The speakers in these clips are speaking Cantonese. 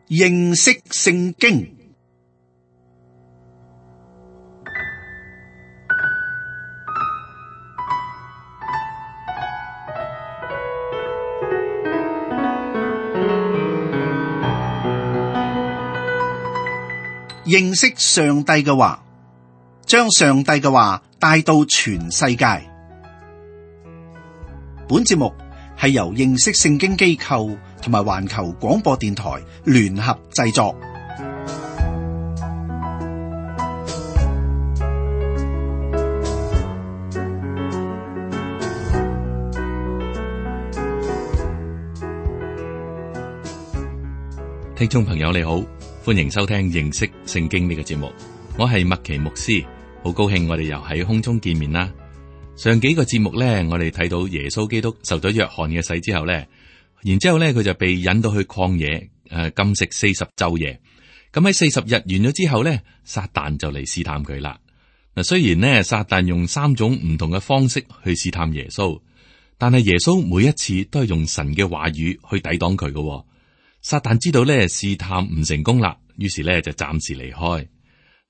認識聖經。認識上帝嘅話，將上帝嘅話帶到全世界。本節目係由認識聖經機構同埋環球廣播電台聯合製作。聽眾朋友你好，歡迎收聽認識聖經呢個節目。我係麥奇牧師，好高興我哋又喺空中見面啦。上幾個節目呢，我哋睇到耶穌基督受咗約翰嘅洗之後呢，然之後呢佢就被引到去曠野禁食40晝夜。咁喺40日完咗之後呢，撒旦就嚟試探佢啦。嗱，雖然呢撒旦用3種唔同嘅方式去試探耶穌，但係耶穌每一次都係用神嘅話語去抵擋佢嘅。撒旦知道咧試探唔成功啦，於是咧就暫時離開。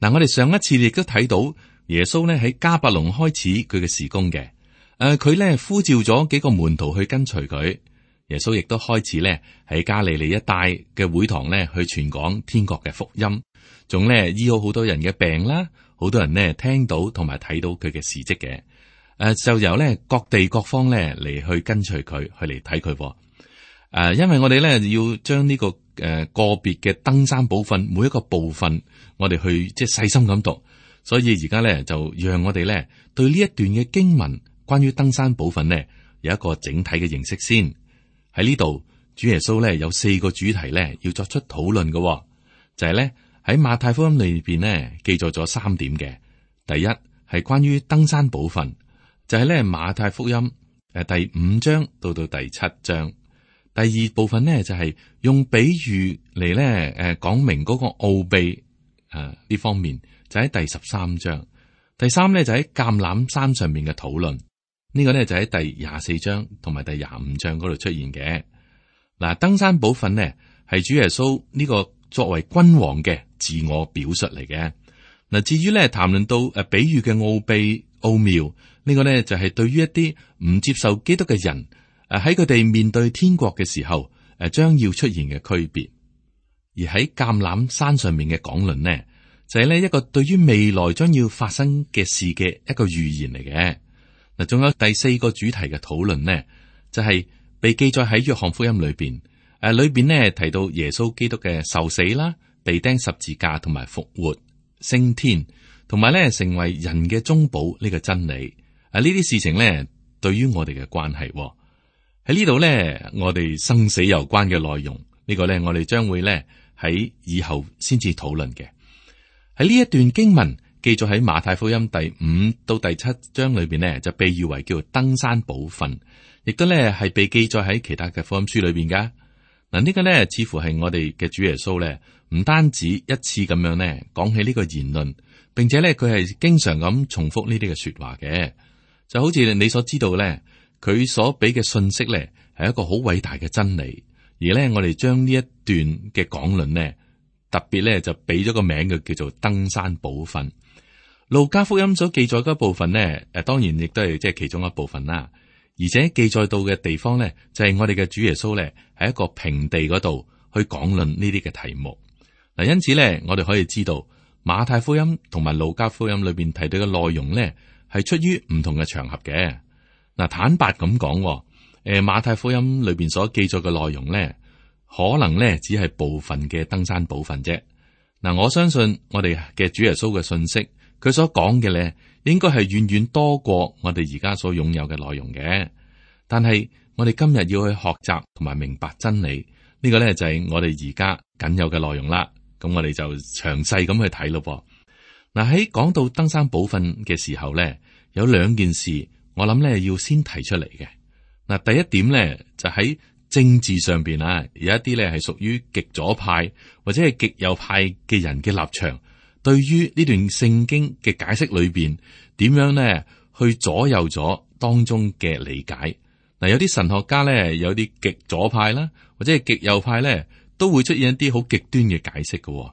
嗱，我哋上一次亦都睇到耶穌咧喺迦百農開始佢嘅事工嘅。佢咧呼召咗幾個門徒去跟隨佢。耶穌亦都開始咧喺加利利一帶嘅會堂咧去傳講天國嘅福音，仲咧醫好好多人嘅病啦，好多人咧聽到同埋睇到佢嘅事蹟嘅。就由咧各地各方咧嚟去跟隨佢，去嚟睇佢。因為我哋咧要將呢個個別嘅登山寶訓每一個部分，我哋去即係細心咁讀，所以而家咧就讓我哋咧對呢一段嘅經文關於登山寶訓咧有一個整體嘅認識先。喺呢度，主耶穌咧有4個主題咧要作出討論嘅，就係咧喺馬太福音裏邊咧記載咗3點嘅。第一係關於登山寶訓，就係咧馬太福音第5章到第7章。第二部分呢，就係用比喻嚟咧講明嗰個奧秘呢方面，就喺第13章。第3呢，就喺橄欖山上面嘅討論，呢個呢，就喺第24章同埋第25章嗰度出現嘅。嗱，登山寶訓呢，係主耶穌呢個作為君王嘅自我表述嚟嘅。嗱，至於咧談論到比喻嘅奧秘奧妙，呢個呢，就係對於一啲唔接受基督嘅人。喺佢哋面對天國嘅時候，將要出現嘅區別。而喺橄欖山上面嘅講論呢，就係呢一個對於未來將要發生嘅事嘅一個預言嚟嘅。嗱，仲有第4個主題嘅討論呢，就係被記載喺約翰福音裏邊。裏邊呢提到耶穌基督嘅受死啦、被釘十字架同埋復活、升天，同埋呢成為人嘅中保呢個真理。呢啲事情呢對於我哋嘅關係。喺呢度咧，我哋生死攸關嘅內容，呢個咧我哋將會咧喺以後先至討論嘅。喺呢一段經文記載喺馬太福音第5到第7章裏邊呢，就被譽為叫登山寶訓，亦都咧係被記載喺其他嘅福音書裏邊噶。嗱，呢個咧似乎係我哋嘅主耶穌咧，唔單止一次咁樣咧講起呢個言論，並且咧佢係經常咁重複呢啲嘅說話嘅，就好似你所知道咧。佢所俾嘅信息咧，係一個好偉大嘅真理，而咧我哋將呢一段嘅講論呢，特別咧就俾咗個名嘅叫做登山寶訓。路加福音所記載嗰部分呢，當然亦都係即係其中一部分啦。而且記載到嘅地方咧，就係我哋嘅主耶穌咧，喺一個平地嗰度去講論呢啲嘅題目。嗱，因此咧，我哋可以知道馬太福音同埋路加福音裏邊提到嘅內容咧，係出於唔同嘅場合嘅。嗱，坦白咁講，馬太福音裏邊所記載嘅內容咧，可能咧只係部分嘅登山寶訓啫。嗱，我相信我哋嘅主耶穌嘅信息，佢所講嘅咧，應該係遠遠多過我哋而家所擁有嘅內容嘅。但係我哋今日要去學習同埋明白真理，呢個咧就係我哋而家僅有嘅內容啦。咁我哋就詳細咁去睇咯。嗱，喺講到登山寶訓嘅時候咧，有2件事。我諗咧要先提出嚟嘅。嗱，第一點咧就喺政治上邊啊，有一啲咧係屬於極左派或者係極右派嘅人嘅立場，對於呢段聖經嘅解釋裏邊，點樣咧去左右咗當中嘅理解。嗱，有啲神學家咧，有啲極左派啦，或者係極右派咧，都會出現一啲好極端嘅解釋嘅。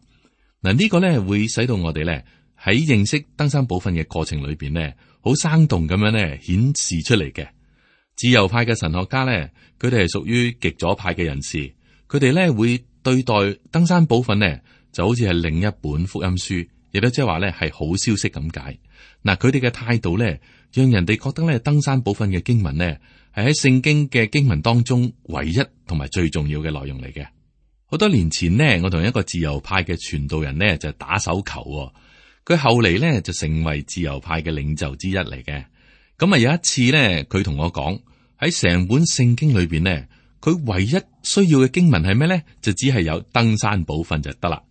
嗱，呢個咧會使到我哋咧喺認識登山寶訓嘅過程裏邊咧，好生動咁樣咧顯示出嚟嘅。自由派嘅神學家咧，佢哋係屬於極左派嘅人士，佢哋咧會對待登山寶訓咧就好似係另一本福音書，亦都即係話咧係好消息咁解。嗱，佢哋嘅態度咧，讓人哋覺得咧登山寶訓嘅經文咧係喺聖經嘅經文當中唯一同埋最重要嘅內容嚟嘅。好多年前呢，我同一個自由派嘅傳道人呢就打手球，佢後嚟呢就成為自由派嘅領袖之一嚟嘅。咁啊有一次呢，佢同我講喺成本聖經裏邊呢，佢唯一需要嘅經文係咩呢？就只係有登山寶訓就得啦。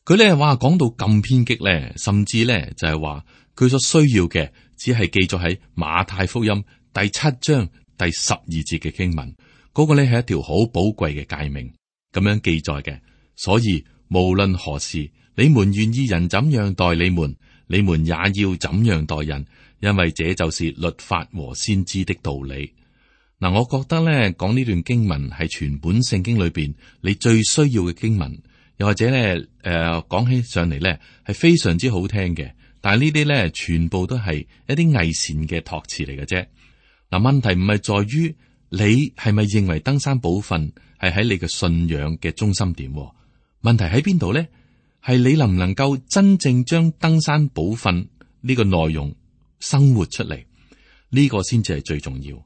佢呢話講到咁偏激呢，甚至呢就係話佢所需要嘅只係記載喺馬太福音第7章第12節嘅經文，嗰個呢係一條好寶貴嘅誡命。咁樣記載嘅，所以無論何時，你們願意人怎樣待你們，你們也要怎樣待人，因為這就是律法和先知的道理。嗱，我覺得咧講呢段經文係全本聖經裏邊你最需要嘅經文，又或者咧講起上嚟咧係非常之好聽嘅。但係呢啲咧全部都係一啲偽善嘅託詞嚟嘅啫。嗱，問題唔係在於你係咪認為登山寶訓係喺你嘅信仰嘅中心點？問題喺邊度咧？係你能唔能夠真正將登山寶訓呢個內容生活出嚟？呢個先至係最重要。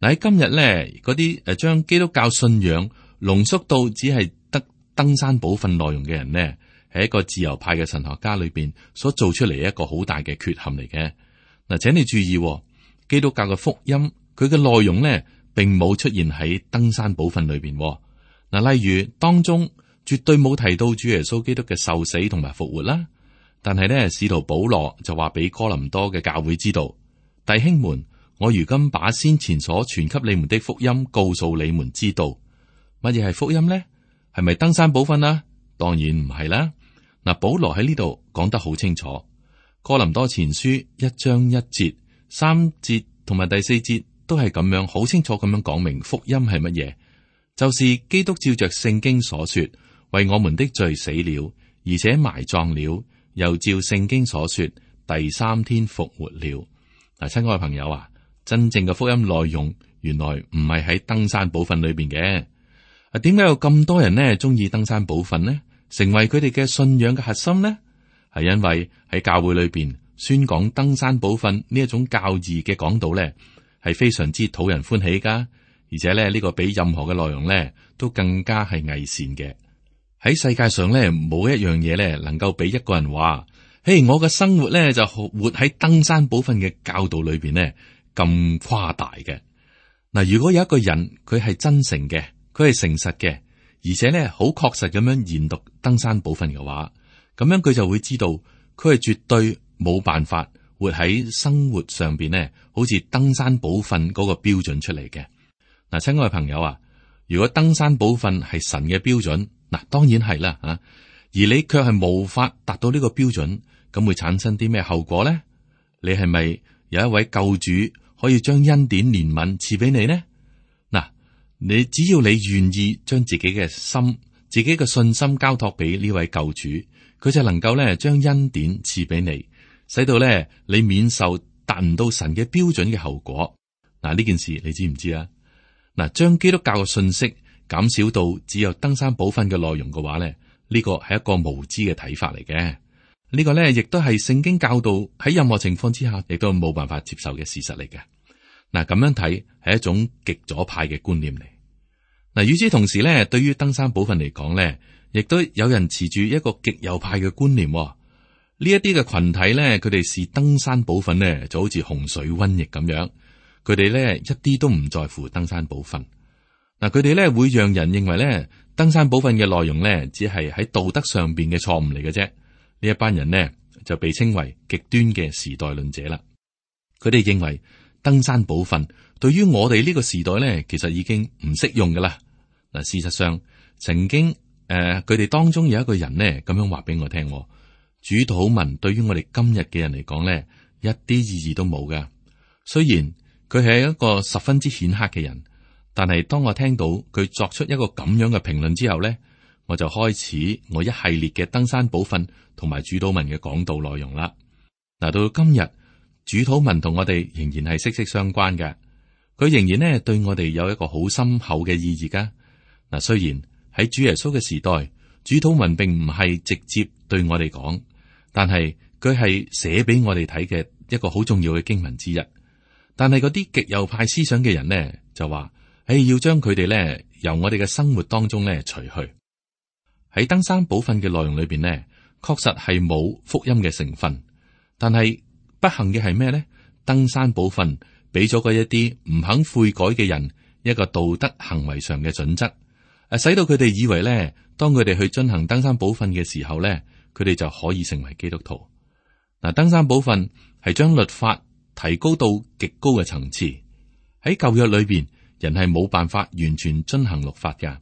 嗱，喺今日咧，嗰啲將基督教信仰濃縮到只係得登山寶訓內容嘅人呢，係一個自由派嘅神學家裏邊所做出嚟一個好大嘅缺陷嚟嘅。嗱，請你注意，基督教嘅福音佢嘅內容呢，並冇出現喺登山寶訓裏邊。嗱，例如當中絕對冇提到主耶穌基督嘅受死同埋復活啦。但係呢，使徒保羅就話俾哥林多嘅教會知道，弟兄們，我如今把先前所傳給你們的福音告訴你們知道。乜嘢係福音呢？係咪登山寶訓啊？當然唔係啦。嗱，保羅喺呢度講得好清楚，哥林多前書1章1節、3節同埋第4節都係咁樣好清楚咁樣講明福音係乜嘢，就是基督照着聖經所說，為我們的罪死了，而且埋葬了，又照聖經所說，第3天復活了。嗱，親愛嘅朋友啊，真正嘅福音內容原來唔係喺登山寶訓裏邊嘅。點解有咁多人呢中意登山寶訓呢？成為佢哋嘅信仰嘅核心呢？係因為喺教會裏邊宣講登山寶訓呢一種教義嘅講道呢，係非常之討人歡喜噶，而且咧呢個比任何嘅內容呢都更加係偽善嘅。喺世界上呢，冇一樣嘢呢能夠俾一個人話，嘿，我嘅生活呢就活喺登山寶訓嘅教導裏邊呢咁誇大嘅。嗱，如果有一個人佢係真誠嘅，佢係誠實嘅，而且咧好確實咁樣研讀登山寶訓嘅話，咁樣佢就會知道佢係絕對冇辦法活喺生活上邊呢，好似登山寶訓嗰個標準出嚟嘅。嗱，親愛嘅朋友啊，如果登山寶訓係神嘅標準，嗱，當然係啦吓，而你卻係無法達到呢個標準，咁會產生啲咩後果咧？你係咪有一位救主可以將恩典憐憫賜俾你呢？嗱，你只要你願意將自己嘅心、自己嘅信心交託俾呢位救主，佢就能夠咧將恩典賜俾你，使到咧你免受達唔到神嘅標準嘅後果。嗱，呢件事你知唔知啊？嗱，將基督教嘅信息減少到只有登山寶訓嘅內容嘅話咧，呢個係一個無知嘅睇法嚟嘅。呢個咧亦都係聖經教導喺任何情況之下亦都冇辦法接受嘅事實嚟嘅。嗱，咁樣睇係一種極左派嘅觀念嚟。嗱，與此同時咧，對於登山寶訓嚟講咧，亦都有人持住一個極右派嘅觀念。呢一啲嘅群體咧，佢哋視登山寶訓咧就好似洪水瘟疫咁樣，佢哋咧一啲都唔在乎登山寶訓。嗱，佢哋咧會讓人認為咧登山寶訓嘅內容咧只係喺道德上邊嘅錯誤嚟嘅啫。呢一班人呢就被稱為極端嘅時代論者啦。佢哋認為登山寶訓對於我哋呢個時代咧，其實已經唔適用噶啦。嗱，事實上曾經佢哋當中有一個人呢咁樣話俾我聽，主禱文對於我哋今日嘅人嚟講咧，一啲意義都冇噶。雖然佢係一個十分之顯赫嘅人，但係當我聽到佢作出一個咁樣嘅評論之後咧，我就開始我一系列嘅登山寶訓同埋主禱文嘅講道內容啦。嗱，到今日主禱文同我哋仍然係息息相關嘅，佢仍然呢對我哋有一個好深厚嘅意義噶。嗱，雖然喺主耶穌嘅時代，主禱文並唔係直接對我哋講，但係佢係寫俾我哋睇嘅一個好重要嘅經文之一。但係嗰啲極右派思想嘅人呢，就話，要將佢哋呢由我哋嘅生活當中呢除去。喺登山寶訓嘅內容裏邊呢，確實係冇福音嘅成分。但係不幸嘅係咩呢？登山寶訓俾咗嗰一啲唔肯悔改嘅人一個道德行為上嘅準則，使到佢哋以為呢，當佢哋去進行登山寶訓嘅時候呢，佢哋就可以成為基督徒。嗱，登山寶訓係將律法提高到極高嘅層次。喺舊約裏邊，人係冇辦法完全遵行律法㗎，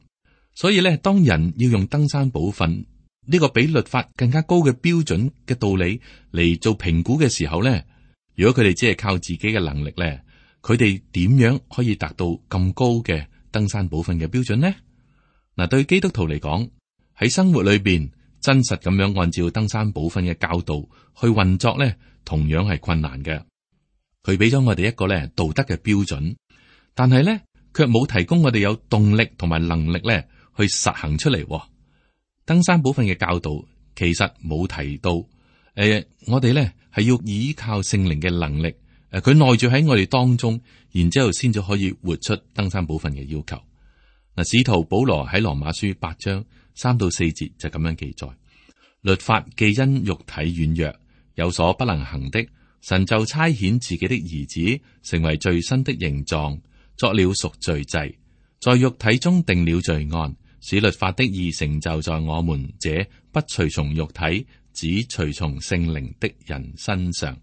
所以咧，當人要用登山寶訓呢個比律法更加高嘅標準嘅道理嚟做評估嘅時候咧，如果佢哋只係靠自己嘅能力咧，佢哋點樣可以達到咁高嘅登山寶訓嘅標準呢？嗱，對基督徒嚟講，喺生活裏邊真實咁樣按照登山寶訓嘅教導去運作咧，同樣係困難嘅。佢俾咗我哋一個咧道德嘅標準，但係咧卻冇提供我哋有動力同埋能力咧去實行出嚟。登山寶訓嘅教導其實冇提到，我哋咧係要依靠聖靈嘅能力，佢內住喺我哋當中，然之後先至可以活出登山寶訓嘅要求。嗱，使徒保羅喺羅馬書8章3到4節就咁樣記載：律法既因肉體軟弱有所不能行的，神就差遣自己的兒子成為罪身的形狀，作了贖罪祭，在肉體中定了罪案，使律法的義成就在我們這不隨從肉體只隨從聖靈的人身上。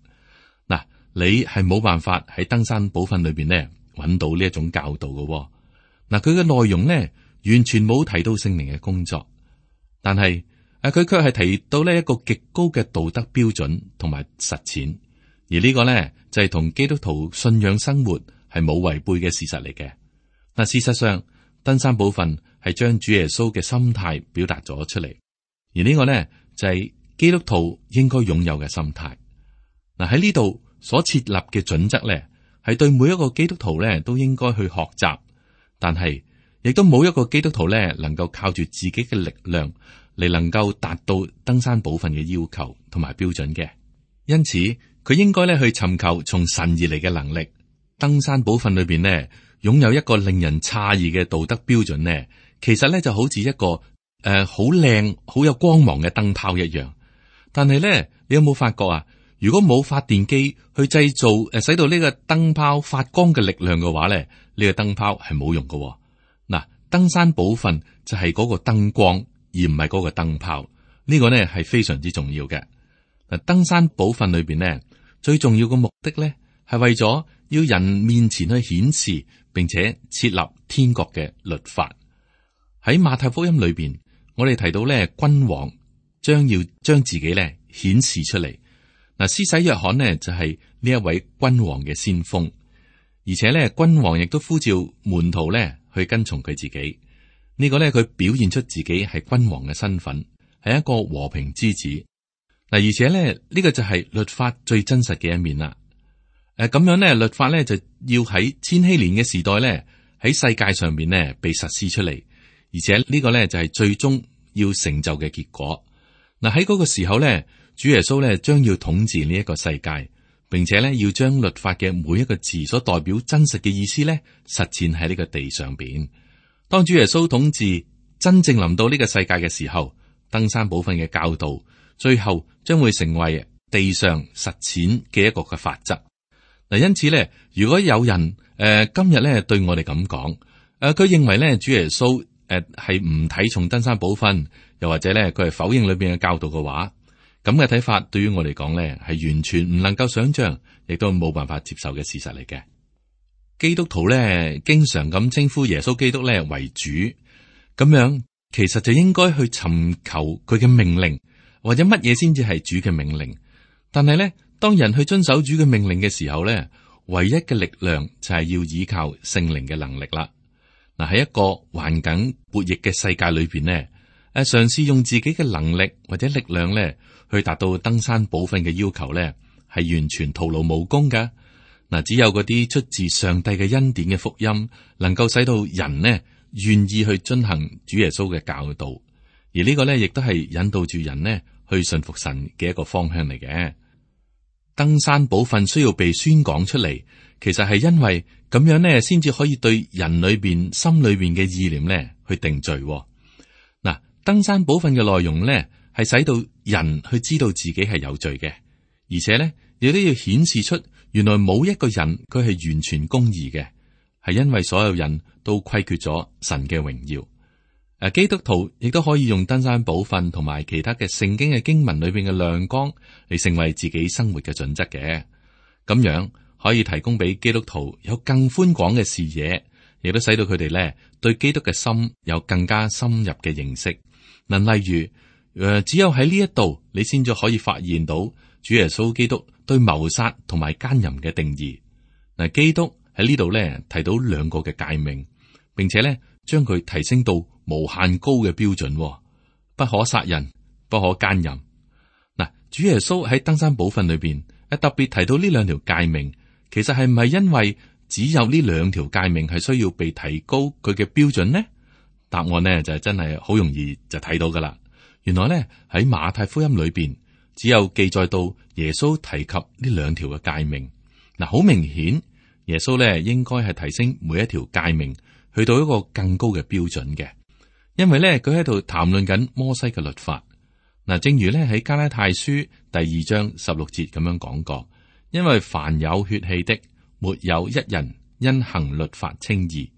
嗱，你係冇辦法喺登山寶訓裏邊呢揾到呢一種教導嘅。嗱，佢嘅內容呢完全冇提到聖靈嘅工作，但係佢卻係提到呢一個極高嘅道德標準同埋實踐。而呢個呢，就係同基督徒信仰生活係冇違背嘅事實嚟嘅。嗱，事實上登山寶訓係將主耶穌嘅心態表達咗出嚟，而呢個呢，就係基督徒應該擁有嘅心態。嗱，喺呢度所設立嘅準則呢，係對每一個基督徒呢都應該去學習，但係亦都冇一個基督徒呢能夠靠住自己嘅力量嚟能夠達到登山寶訓嘅要求同埋標準嘅。因此佢應該咧去尋求從神而嚟嘅能力。登山寶訓裏邊呢，擁有一個令人詫異嘅道德標準呢，其實咧就好似一個好靚、好有光芒嘅燈泡一樣。但係咧，你有冇發覺啊？如果冇發電機去製造使到呢個燈泡發光嘅力量嘅話咧，呢個燈泡係冇用嘅。嗱，登山寶訓就係嗰個燈光，而唔係嗰個燈泡。呢個呢係非常之重要嘅。嗱，登山寶訓裏邊呢，最重要嘅目的咧，係為咗要人面前去顯示，並且設立天國嘅律法。喺馬太福音裏邊，我哋提到咧，君王將要將自己咧顯示出嚟。嗱，施洗約翰呢就係呢一位君王嘅先鋒，而且咧，君王亦都呼召門徒咧去跟從佢自己。呢個咧，佢表現出自己係君王嘅身份，係一個和平之子。嗱，而且咧，呢個就係律法最真實嘅一面啦。咁樣咧，律法咧就要喺千禧年嘅時代咧，喺世界上面咧被實施出嚟，而且呢個咧就係最終要成就嘅結果。嗱，喺嗰個時候咧，主耶穌咧將要統治呢一個世界，並且咧要將律法嘅每一個字所代表真實嘅意思咧實踐喺呢個地上邊。當主耶穌統治真正臨到呢個世界嘅時候，登山寶訓嘅教導最後將會成為地上實踐嘅一個嘅法則。嗱，因此咧，如果有人今日咧對我哋咁講，佢認為咧主耶穌係唔睇重登山寶訓，又或者咧佢係否認裏邊嘅教導嘅話，咁嘅睇法對於我嚟講咧係完全唔能夠想象，亦都冇辦法接受嘅事實嚟嘅。基督徒咧經常咁稱呼耶穌基督咧為主，咁樣其實就應該去尋求佢嘅命令，或者乜嘢先至係主嘅命令。但係咧，當人去遵守主嘅命令嘅時候咧，唯一嘅力量就係要依靠聖靈嘅能力啦。嗱，喺一個環境悖逆嘅世界裏邊呢，嘗試用自己嘅能力或者力量咧，去達到登山寶訓嘅要求咧，係完全徒勞無功噶。嗱，只有嗰啲出自上帝嘅恩典嘅福音，能夠使到人呢願意去遵行主耶穌嘅教導，而呢個咧亦都係引導住人呢去信服神嘅一個方向嚟嘅。登山寶訓需要被宣講出嚟，其實係因為咁樣呢，先至可以對人裏邊心裏邊嘅意念呢去定罪。嗱，登山寶訓嘅內容呢，係使到人去知道自己係有罪嘅，而且呢亦都要顯示出原來冇一個人佢係完全公義嘅，係因為所有人都虧缺咗神嘅榮耀。基督徒亦都可以用登山寶訓同埋其他嘅聖經嘅經文裏邊嘅亮光嚟成為自己生活嘅準則嘅，咁樣可以提供俾基督徒有更寬廣嘅視野，亦都使到佢哋咧對基督嘅心有更加深入嘅認識。嗱，例如只有喺呢一度，你先至可以發現到主耶穌基督對謀殺同埋奸淫嘅定義。嗱，基督喺呢度咧提到兩個嘅誡命，並且咧將佢提升到無限高嘅標準，不可殺人，不可奸淫。嗱，主耶穌喺登山寶訓裏邊，特別提到呢兩條誡命，其實係唔係因為只有呢兩條誡命係需要被提高佢嘅標準呢？答案呢就係真係好容易就睇到噶啦。原來呢喺馬太福音裏邊，只有記載到耶穌提及呢兩條嘅誡命。嗱，好明顯，耶穌呢應該係提升每一條誡命去到一個更高嘅標準嘅。因為咧，佢喺度談論緊摩西嘅律法。嗱，正如咧喺加拉太書第2章16節咁樣講過，因為凡有血氣的，沒有一人因行律法稱義。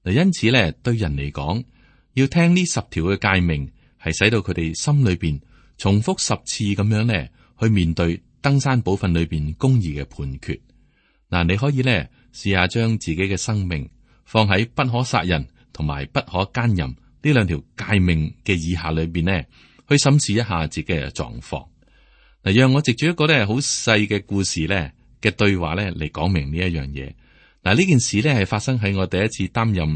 嗱，因此咧，對人嚟講，要聽呢10條嘅誡命，係使到佢哋心裏邊重複10次咁樣咧，去面對登山寶訓裏邊公義嘅判決。嗱，你可以咧試下將自己嘅生命放喺不可殺人同埋不可奸淫呢兩條誡命嘅以下裏邊呢，去審視一下自己嘅狀況。嗱，讓我藉住一個咧好細嘅故事咧嘅對話咧嚟講明呢一樣嘢。嗱，呢件事咧係發生喺我第一次擔任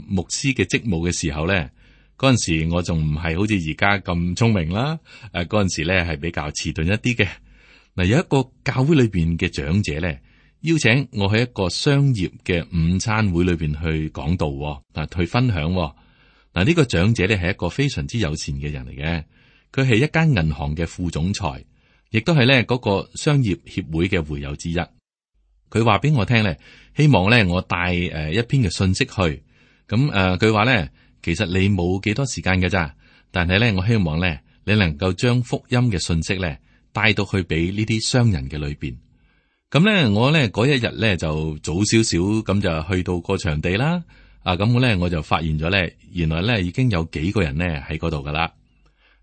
牧師嘅職務嘅時候咧，嗰陣時我仲唔係好似而家咁聰明啦。嗰陣時咧係比較遲鈍一啲嘅。嗱，有一個教會裏邊嘅長者咧邀請我喺一個商業嘅午餐會裏邊去講道，去分享。嗱，呢個長者咧係一個非常之友善嘅人嚟嘅，佢係一間銀行嘅副總裁，亦都係咧嗰個商業協會嘅會友之一。佢話俾我聽咧，希望咧我帶一篇嘅信息去。咁佢話咧，其實你冇幾多時間嘅咋，但係咧我希望咧你能夠將福音嘅信息咧帶到去俾呢啲商人嘅裏邊。咁咧我咧嗰一日咧就早少少咁就去到個場地啦。咁我就發現咗咧，原來咧已經有幾個人咧喺嗰度噶啦。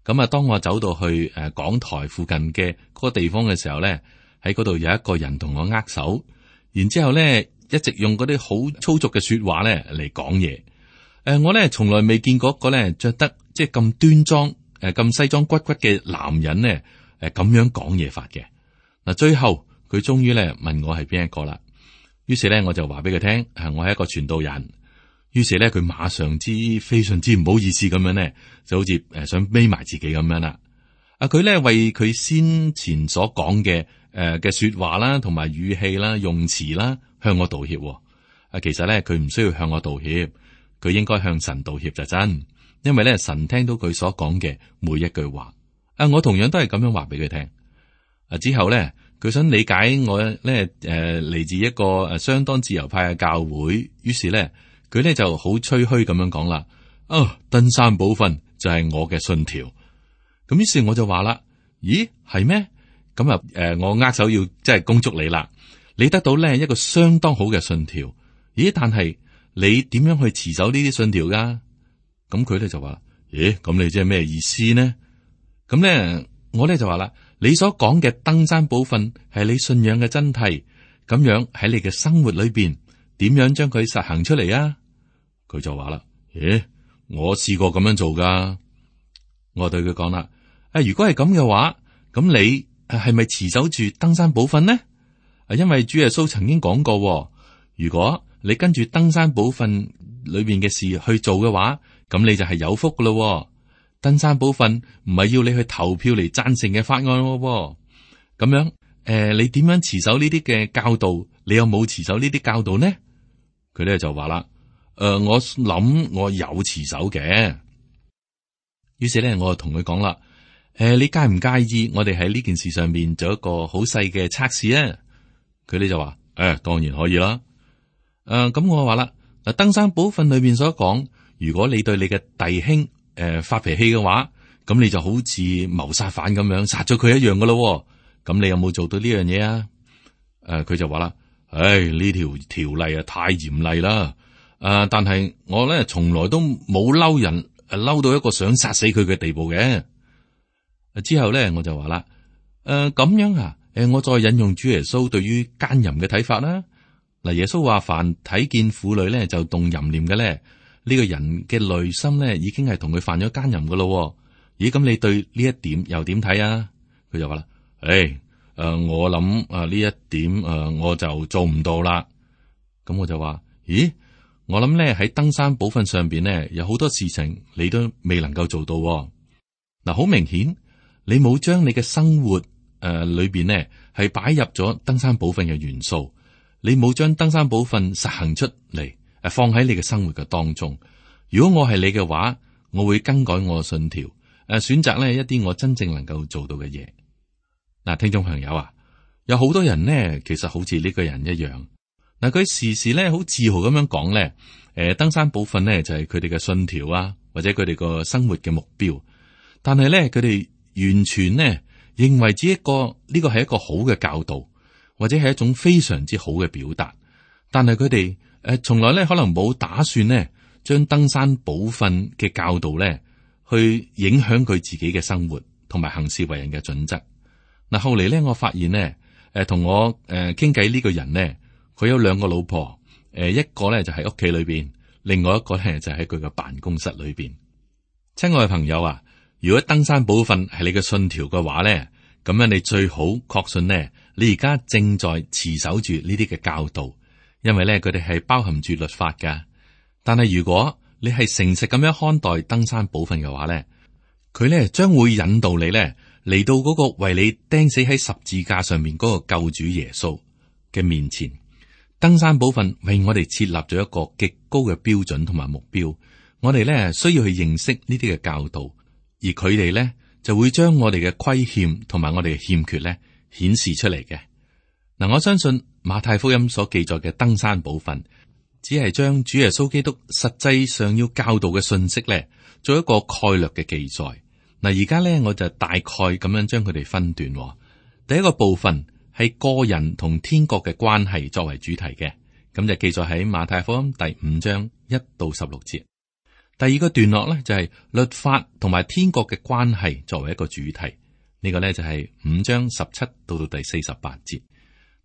咁當我走到去講台附近嘅嗰個地方嘅時候咧，喺嗰度有一個人同我握手，然之後咧一直用嗰啲好粗俗嘅說話咧嚟講嘢。我咧從來未見過一個咧着得即係咁端莊咁西裝骨骨嘅男人咧咁樣講嘢法嘅。嗱，最後佢終於咧問我係邊一個啦。於是咧我就話俾佢聽，我係一個傳道人。於是咧，佢馬上非常之唔好意思咁樣咧，就好似想孭埋自己咁樣啦。佢咧為佢先前所講嘅說話啦，同埋語氣啦、用詞啦，向我道歉。其實咧，佢唔需要向我道歉，佢應該向神道歉就真，因為咧神聽到佢所講嘅每一句話。我同樣都係咁樣話俾佢聽。之後咧，佢想理解我咧嚟自一個相當自由派嘅教會，於是咧。佢咧就好吹噓咁樣講啦，登山寶訓就係我嘅信條。咁於是我就話啦，咦，係咩？咁我握手要即係恭祝你啦，你得到咧一個相當好嘅信條。咦，但係你點樣去持守呢啲信條噶？咁佢咧就話，咦，咁你即係咩意思呢？咁咧我咧就話啦，你所講嘅登山寶訓係你信仰嘅真諦，咁樣喺你嘅生活裏邊。點樣將佢實行出嚟啊？佢就話啦，咦，我試過咁樣做噶。我對佢講啦，如果係咁嘅話，咁你係咪持守住登山寶訓呢？因為主耶穌曾經講過，如果你跟住登山寶訓裏邊嘅事去做嘅話，咁你就係有福噶咯。登山寶訓唔係要你去投票嚟贊成嘅法案喎。咁樣你點樣持守呢啲嘅教導？你有冇持守呢啲教導呢？佢咧就話啦，我諗我有持守嘅。於是咧，我就同佢講啦，你介唔介意我哋喺呢件事上面做一個好細嘅測試啊？佢咧就話，當然可以啦。咁我話啦，嗱，登山寶訓裏邊所講，如果你對你嘅弟兄發脾氣嘅話，咁你就好似謀殺犯咁樣殺咗佢一樣噶咯。咁你有冇做到呢樣嘢啊？佢就話啦，呢條條例啊太嚴厲啦。但係我咧從來都冇嬲人，嬲到一個想殺死佢嘅地步嘅。之後咧我就話啦，咁樣啊，我再引用主耶穌對於奸淫嘅睇法啦。嗱，耶穌話凡睇見婦女咧就動淫念嘅咧，呢個人嘅內心咧已經係同佢犯咗奸淫噶咯。咦，咁你對呢一點又點睇啊？佢就話啦，我諗呢一點我就做唔到啦。咁我就話，咦，我諗咧喺登山寶訓上邊咧有好多事情你都未能夠做到。嗱，好明顯你冇將你嘅生活裏邊咧係擺入咗登山寶訓嘅元素，你冇將登山寶訓實行出嚟，放喺你嘅生活嘅當中。如果我係你嘅話，我會更改我嘅信條，選擇咧一啲我真正能夠做到嘅嘢。嗱，聽眾朋友啊，有好多人呢，其實好似呢個人一樣。嗱，佢時時咧好自豪咁樣講咧，登山寶訓呢就係佢哋嘅信條啊，或者佢哋個生活嘅目標。但係咧，佢哋完全呢認為呢個係一個好嘅教導，或者係一種非常之好嘅表達。但係佢哋從來咧可能冇打算呢將登山寶訓嘅教導咧去影響佢自己嘅生活同埋行事為人嘅準則。嗱，後嚟咧我發現呢，同我傾偈呢個人呢，佢有兩個老婆，一個咧就喺屋企裏邊，另外一個咧就喺佢嘅辦公室裏邊。親愛嘅朋友啊，如果登山寶訓係你嘅信條嘅話咧，咁樣你最好確信呢，你而家正在持守住呢啲嘅教導，因為咧佢哋係包含住律法噶。但係如果你係誠實咁樣看待登山寶訓嘅話咧，佢咧將會引導你咧嚟到嗰個為你釘死喺十字架上面嗰個救主耶穌嘅面前。登山寶訓為我哋設立咗一個極高嘅標準同埋目標，我哋咧需要去認識呢啲嘅教導，而佢哋咧就會將我哋嘅虧欠同埋我哋嘅欠缺咧顯示出嚟嘅。嗱，我相信馬太福音所記載嘅登山寶訓，只係將主耶穌基督實際上要教導嘅信息咧，做一個概略嘅記載。嗱，而家咧我就大概咁樣將佢哋分段。第一個部分係個人同天國嘅關係作為主題嘅，咁就記載喺馬太福音第5章1到16節。第二個段落咧就係律法同埋天國嘅關係作為一個主題，呢個咧就係5章17到第48節。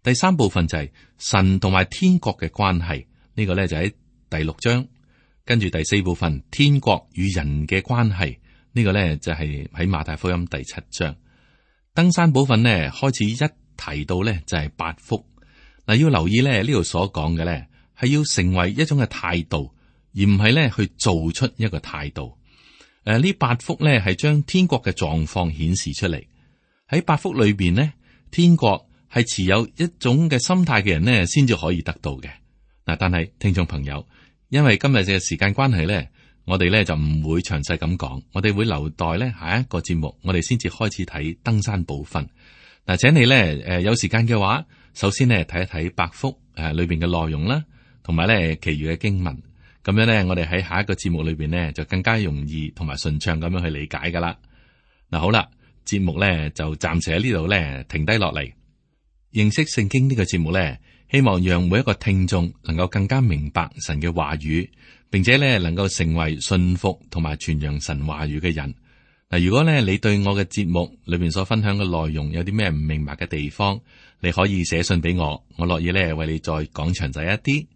第三部分就係神同埋天國嘅關係，呢個咧就喺第6章。跟住第四部分天國與人嘅關係，呢個咧就係喺馬太福音第7章。登山寶訓呢開始一提到咧就係8福。嗱，要留意咧呢度所講嘅咧係要成為一種嘅態度，而唔係咧去做出一個態度。呢8福咧係將天國嘅狀況顯示出嚟。喺8福裏邊呢，天國係持有一種嘅心態嘅人呢先至可以得到嘅。嗱，但係聽眾朋友，因為今日嘅時間關係咧，我哋咧就唔會詳細咁講，我哋會留待咧下一個節目，我哋先至開始睇登山寶訓。嗱，請你咧有時間嘅話，首先咧睇一睇8福裏邊嘅內容啦，同埋咧其餘嘅經文，咁樣咧我哋喺下一個節目裏邊咧就更加容易同埋順暢咁樣去理解噶啦。嗱，好啦，節目咧就暫時喺呢度咧停低落嚟。認識聖經呢個節目咧，希望讓每一個聽眾能夠更加明白神嘅話語，並且咧能夠成為信服同埋傳揚神話語嘅人。嗱，如果咧你對我嘅節目裏面所分享嘅內容有啲咩唔明白嘅地方，你可以寫信俾我，我樂意咧為你再講詳細一啲。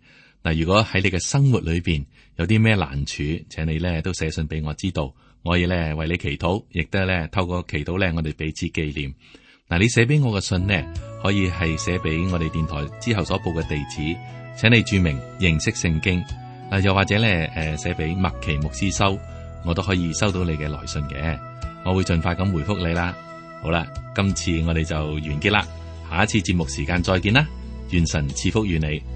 嗱，如果喺你嘅生活裏邊有啲咩難處，請你咧都寫信俾我知道，我可以咧為你祈禱，亦都咧透過祈禱咧我哋彼此紀念。嗱，你寫俾我嘅信呢，可以係寫俾我哋電台之後所報嘅地址，請你注明認識聖經。又或者咧寫俾麥奇牧師收，我都可以收到你嘅來信嘅，我會盡快咁回覆你啦。好啦，今次我哋就完結啦，下一次節目時間再見啦，願神賜福與你。